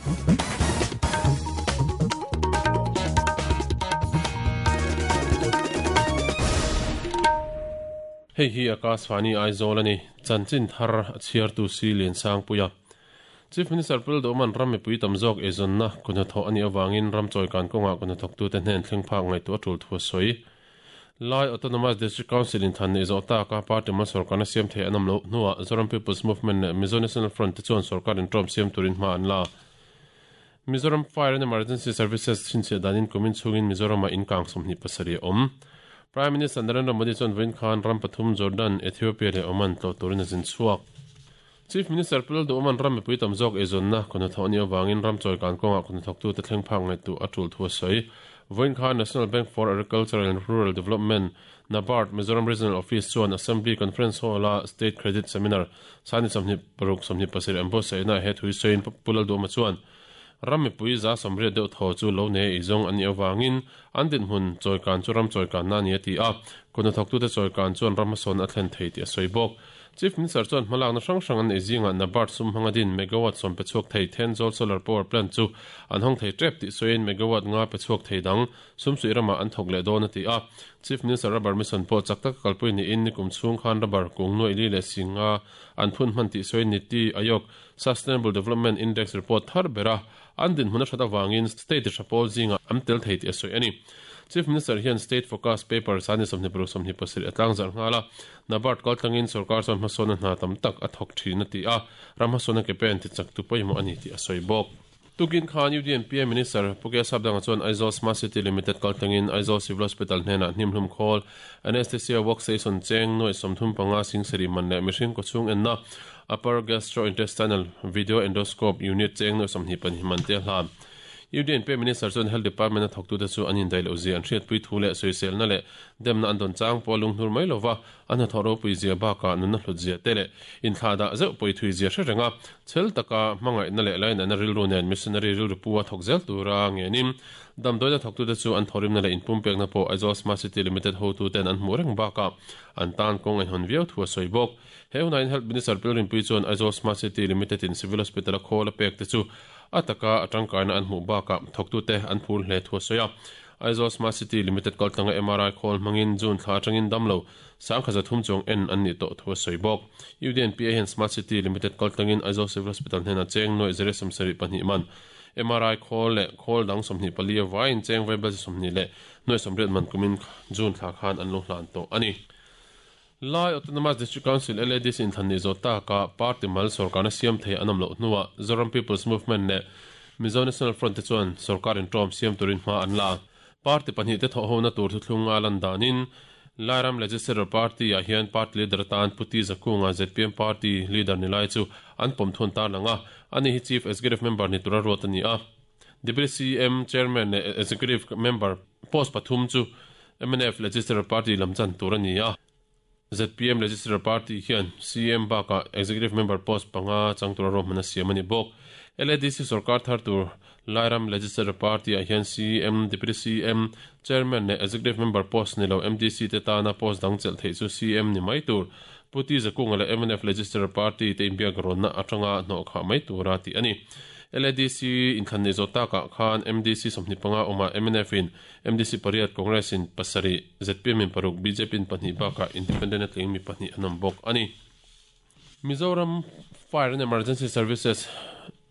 Hei hi Akashvani Aizawl a ni. Chanchin thar a chhiartu si Liansangpuia. Chief Minister Pu Lalduhman ram mipui tam zawk eizawnna kuhnathawh a nih avangin ram chawikan kawngah kuhnathawktute hnen thleng phak ngaihtuah a tul thu a sawi. Lai Autonomous District Council in than neih zawh taka party mal sorkarna siam thei an awm loh hnuah Zoram People's Movement leh Mizo National Front te chuan sorkar inṭawm siam turin hma an la. Mizoram Fire and Emergency Services chhinchhiah danin kumin chhungin Mizoramah in kang 27 a awm. Prime Minister Narendra Modi chuan vawiin khan ram pathum Jordan, Ethiopia leh Oman tlawh turin a zin chhuak. Chief Minister Pu Lalduhman ram mipui tam zawk eizawnna kuhnathawh a nih avangin ram chawikan kawngah kuhnathawktute thleng phak ngaihtuah a tul thu a sawi. Vawiin khan National Bank for Agricultural and Rural Development, NABARD, Mizoram Regional Office chuan Assembly Conference Hall-a State Credit Seminar Sani 26 27 an buatsaihnaah he thu hi sawiin Pu Lalduhma chuan ram mipui 180 deuh thaw chu lo nei eizawng an nih avangin an dinhmun chawikan chu ram chawikanna a ni a ti a, kuhnathawktute chawikan chuan ram hmasawn a thlen thei tih a sawi bawk. Chief Minister chuan hmalakna hrang hrang an nei zingah NABARD sum hmanga din megawatt sawm pe chhuak thei Thenzawl Solar Power Plant chu an hawng thei tep tih sawiin megawatt nga pe chhuak thei dang sumsuih ramah an thawk leh dawn a ti a. Chief Minister Rubber Mission pawh chak taka kalpui niin nikum chhung khan rubber kung nuaih li leh si nga an phun hman tih sawiin Niti Aayog Sustainable Development Index report thar bera an dinhmun a hrat avangin state tha pawl zingah an tel thei tih a sawi a ni. Chief Minister hian State Focus Paper sani 26 27 a tlangzarh nghal a, NABARD kaltlangin sorkar chuan hmasawnna hna tam tak a thawk thin a ti a, ram hmasawnna ke pen tichaktu pawimawh a ni tih a sawi bawk. Tukin khan UDNPA Minister Pu K Sapdanga chuan Aizawl Smart City Limited kaltlangin Aizawl Civil Hospital hnenah hnimhlum khawl Anaesthesia Workstation cheng nuaih 35 singsarih man leh mihring kawchhung enna Upper Gastrointestinal Video Endoscope Unit cheng nuaih 22 man te a hlan. UDNPA Minister chuan Health Department a thawktute chu an indaih loh zia an hriatpui thu leh sawiselna leh demna an dawn chang pawh a lunghnur mai lova, a hnathawh ropui zia bakah nunna hlut zia te leh inthlahdah zeuh pawi thui zia hre reng a, chhel taka hmangaihna leh lainatna rilru nen missionary rilru pu a thawk zel tura ngenin damdawiina thawktute chu an thawhrimna leh inpumpekna pawh Aizawl Smart City Limited hotuten an hmuh reng bakah an tan kawng a inhawn viau thu a sawi bawk. He hunain Health Minister Pilrinpui chuan Aizawl Smart City Limited in Civil Hospital a khawl a pek te chu a taka a tangkaina an hmuh bakah thawktute an phur hle thu a sawi a. Aizawl Smart City Limited kaltlanga MRI khawl hmangin June thla atangin damlo 1300 chuang en an nih tawh thu a sawi bawk. UDNPA hian Smart City Limited kaltlangin Aizawl Civil Hospital hnenah cheng nuaih zere 72 man MRI khawl leh khawl dang 24 avaiin cheng vaibel 20 leh nuaih 80 man kumin June thla khan an lo hlan tawh a ni. Lai Autonomous District Council, LADC, inthlan nih zawh takah party mal sorkarna siam thei an awm loh hnuah Zoram People's Movement leh Mizo National Front te chuan sorkar inṭawm siam turin hma an la. Party pahnih te thawhhona tur thuthlung a lan danin Lairam Legislature Party-ah hian party leader atan Pu T Zakunga zpm party leader ni lai chu an pawm thun tarlang a, ani hi Chief Executive Member ni tura ruat a ni a. Deputy CM, Chairman leh Executive Member post pathum chu mnf Legislature Party lam chan tur a ni a. Zpm Legislature Party hian CM bakah Executive Member post panga chang tura ruahman a siam a ni bawk. LADC sorkar thar tur Lairam Legislature Party-ah hian CM, Deputy CM, Chairman leh Executive Member post ni lo MDC te tana post dang chelh theih chu CM ni mai tur Pu T Zakunga leh mnf Legislature Party te inbiak rawnna atanga hnawhkhah mai tura tih a ni. LADC inthlan nei zawh takah khan MDC 25 awmah mnf in MDC pariat, Congress in pasarih, zpm in paruk, bjp in pahnih bakah Independent a tling mi pahnih an awm bawk a ni. Mizoram Fire and Emergency Services,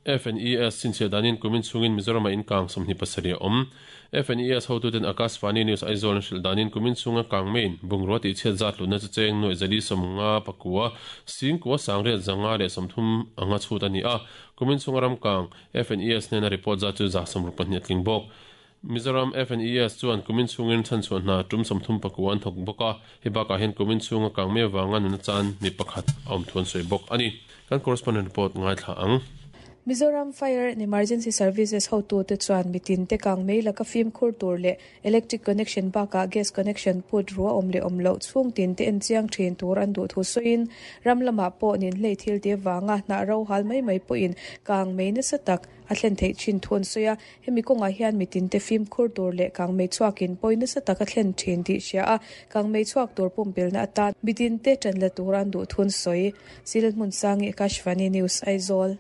FNES, chhinchhiah danin kumin chhungin Mizoramah in kang 27 a awm. FNES hotuten Akashvani News Aizawl an hrilh danin kumin chhunga kang meiin bungrua tihchhiat zat lutna chu cheng nuaih zali sawmnga pakua, singkua sangriat zanga leh 30 anga chhut a ni a. Kumin chhunga ram kang FNES hnena report zat chu 62 a tling bawk. Mizoram FNES chuan kumin chhungin chhanchhuah hna tum 34 an thawk bawk a, hei bakah hian kumin chhunga kang mai avanga nuna chan mi pakhat a awm thu an sawi bawk a ni. Kan correspondent report ngaithla ang. Mizoram Fire and Emergency Services hotute chuan mitin te kang mai laka fimkhur tur leh electric connection bakah gas connection put ru a awm leh awm loh chhung tin te en chiang thin tur an duh thu sawiin ram lamah pawh ninhlei thil te vanga hnah ro hal mai mai pawhin kang mai nasa tak a thlen theih thin thu an sawi a. Hemi kawngah hian mitinte fimkhur tur leh kangmei chhuakin pawi nasa tak a thlen thin tih hria a, kangmei chhuak tur pumpelna atan mitinte tan la tur an duh thun sawi. Sil Hmunsangi, Akashvani News, Aizawl.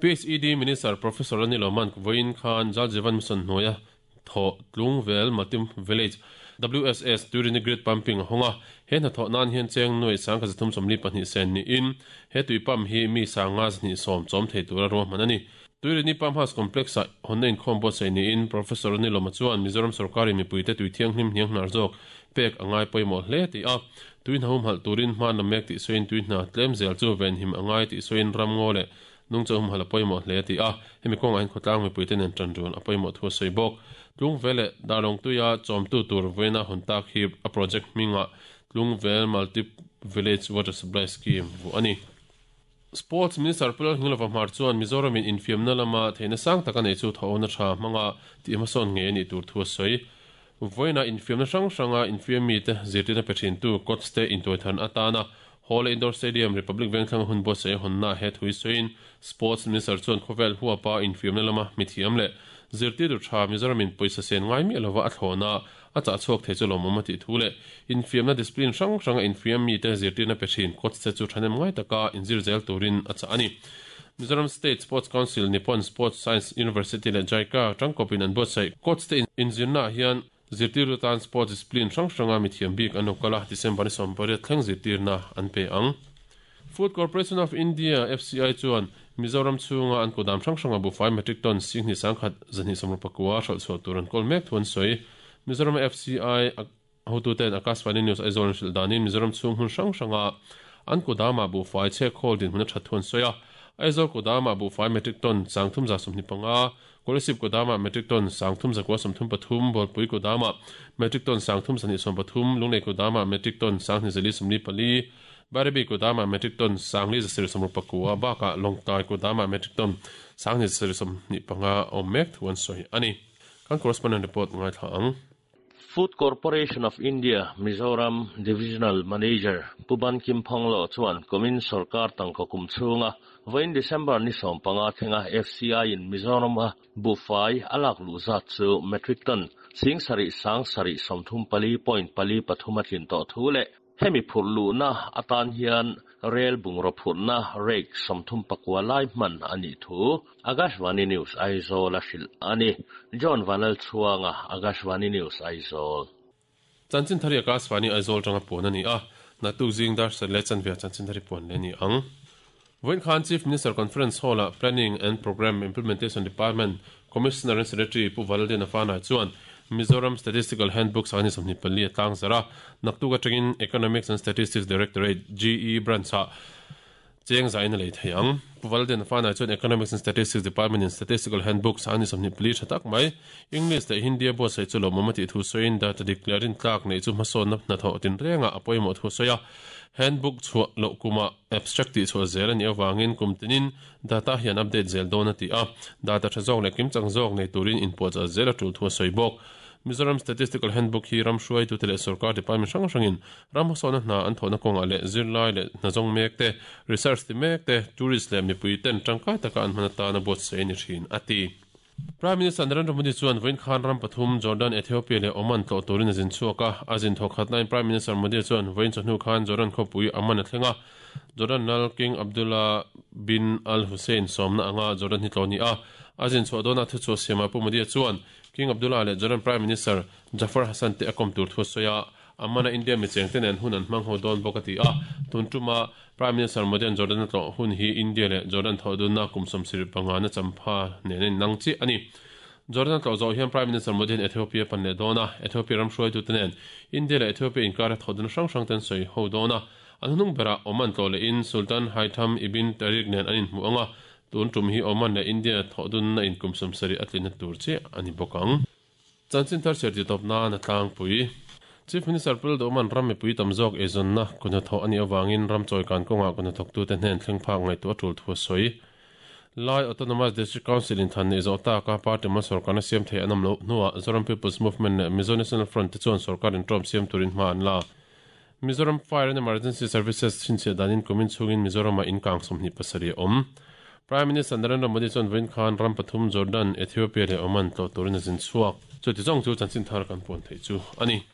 PHED Minister Professor Lalnilawman vawiin khan Jal Jeevan Mission hnuaia thawh Tlungvel Multi Village WSS Tuirini Grid Pumping a hawng a, he hnathawh nan hian cheng nuai 1342 sen niin he tui pump hi mi 520 chawm thei tura ruahman a ni. Tuirini Pump House Complex-ah hawnna inkhawm buatsaih niin Professor Lalnilawma chuan Mizoram sorkarin mipuite tui thianghlim hnianghnar zawk pek a ngai pawimawh hle tih a, tui hna humhalh turin hma la mek tih sawiin tui hna tlem zel chu venhim a ngai tih sawiin ramngaw leh Nungcha humhalh a pawimawh hle tih a, hemi kawngah hian khawtlang mipuite nen tan run a pawimawh thu a sawi bawk. Tlungvel leh Darlawngtuia chawmtu tur vawiina hawn tak hi a project hmingah Tlungvel Multi Village Water Supply Scheme vuah a ni. Sports Minister Pu Lalhingilova Hmar chuan Mizoramin infiamna lama theihna sang tak a nei chu thawhawna tha hmanga tih hmasawn ngei a nih tur thu a sawi. Vawiina infiamna hrang hranga infiam mite zirtirna pe thintu coach te intuaithan atana Hall Indoor Stadium, Republic Vengthlang hun buatsaih a hawnna he thui sawiin Sports Minister chuan khawvel huapa infiamna lama mithiam leh zirtirtu tha Mizoramin pawisa sen ngai miah lova a thlawna a chah chhuak thei chu lawmawm a tih thu leh infiamna discipline hrang hranga infiam mite zirtirna pe thin coach te chu thahnem ngai taka inzir zel turin a chah a ni. Mizoram State Sports Council, Nippon Sports Science University leh JICA tangkawpin an buatsaih coach te inzirnaah hian Zirtirtu tan sports discipline hrang hranga mithiam bik an lo kal a, December ni 18 thleng zirtirna an pe ang. Food Corporation of India, FCI, chuan Mizoram chhunga an kudam hrang hranga buhfai metric ton 21,000 229 hralh chhuah tur an kawl mek thu an sawi. Mizorama FCI hotuten Akashvani News Aizawl an hrilh danin Mizoram chhung hmun hrang hranga an kudamah buhfai chhek khawl dinhmun a that thu an sawi a. Aizawl kudamah buhfai metric ton 325, Kolasib Kodama metric ton 3933, Bawlpui Kodama metric ton 3273, Lunglei Kodama metric ton 2444, Bairabi Kodama metric ton 5169 bakah Lawngtlai Kodama metric ton 2175 a awm mek thu an sawi a ni. Kan correspondent report ngaithla ang. Food Corporation of India, Mizoram Divisional Manager Pu Ban Kim Phonglo chuan kumin sorkar tangka kum chhunga vawiin December ni 15 thlenga FCI in Mizoram-a buhfai a lak luh zat chu metric ton 7734 point pali pathum a tlin tawh thu leh hemi phurh luhna atan hian rel bungraw phurhna rake 39 lai hman a nih thu Akashvani News Aizawl a hrilh a ni. John Vanlalchhuanga, Akashvani News Aizawl. Chanchin thari Akashvani Aizawl tanga puan a ni a, naktuk zing dar sat leh chanve ah chanchin thari puan leh a ni ang. Vawiin khan Chief Minister Conference Hall-ah Planning and Programme Implementation Department Commissioner and Secretary Pu Valaldiana Fanai chuan Mizoram Statistical Handbook 2024 a tlangzarh a, naktuk atangin Economics and Statistics Directorate, GE, Branch-ah cheng zain a lei thei ang. Pu Valaldiana Fanai chuan Economics and Statistics Department-in Statistical Handbook 2024 tha tak mai English leh Hindi a buatsaih chu lawmawm a tih thu sawiin data dik leh rintlak neih chu hmasawnna hnathawh tinrengah a pawimawh thu a sawi a. Handbook chhuah loh kumah abstract tih chhuah zel a nih avangin kum tinin data hian update zel dawn a ti a, data tha zawk leh kimchang zawk nei turin inpuahchah zel a tul thu a sawi bawk. Mizoram Statistical Handbook hi ram hruaitute leh sorkar department hrang hrangin ram hmasawnna hna an thawhna kawngah leh zirlai leh hnazawng mek te, research ti mek te, tourist leh mipui ten tangkai taka an hman atana buatsaih a ni thin, a ti. Prime Minister Narendra Modi chuan vawiin khan ram pathum, Jordan, Ethiopia leh Oman tlawh turin a zin chhuak a. A zin thawk khat laiin Prime Minister Modi chuan vawiin chawhnu khan Jordan khawpui Amman a thleng a. Jordan lal King Abdullah bin Al Hussein sawmna anga Jordan hi tlawh ni a. A zin chhuah dawnah thuchhuah siamah Pu Modi chuan King Abdullah leh Jordan Prime Minister Jafar Hassan te a kawm tur thu a sawi a. Amman-a India michengte nen hun an hmang ho dawn bawk a ti a. Tun tuma Prime Minister Modi-a'n Jordan a tlawh hun hi India leh Jordan thawhdunna kum 75 na champha nen a innang chiah a ni. Jordan a tlawh zawh hian Prime Minister Modi-a'n Ethiopia a pan leh dawn a, Ethiopia ram hruaitute nen India leh Ethiopia inkara thawhdunna hrang hrang te an sawi ho dawn a. An hnung berah Oman tlawh lehin Sultan Haitham ibn Tariq nen an inhmuh ang a, tun tum hi Oman leh India thawhdunna in kum 70 a tlinna tur chiah a ni bawk ang. Chanchin thar chhiar tih tawp nan a tlangpui. Chief Minister Pu Lalduhman ram mipui tam zawk eizawnna kuhnathawh a nih avangin ram chawikan kawngah kuhnathawktute hnen thleng phak ngaihtuah a tul thu a sawi. Lai Autonomous District Council in than neih zawh taka party mal sorkarna siam thei an awm loh hnuah Zoram People's Movement leh Mizo National Front te chuan sorkar inṭawm siam turin hma an la. Mizoram Fire and Emergency Services chhinchhiah danin kumin chhungin Mizoramah in kang 27 a awm. Prime Minister Narendra Modi chuan vawiin khan ram pathum Jordan, Ethiopia leh Oman tlawh turin a zin chhuak. Chuti zawng chu chanchin thar kan puan theih chu a ni.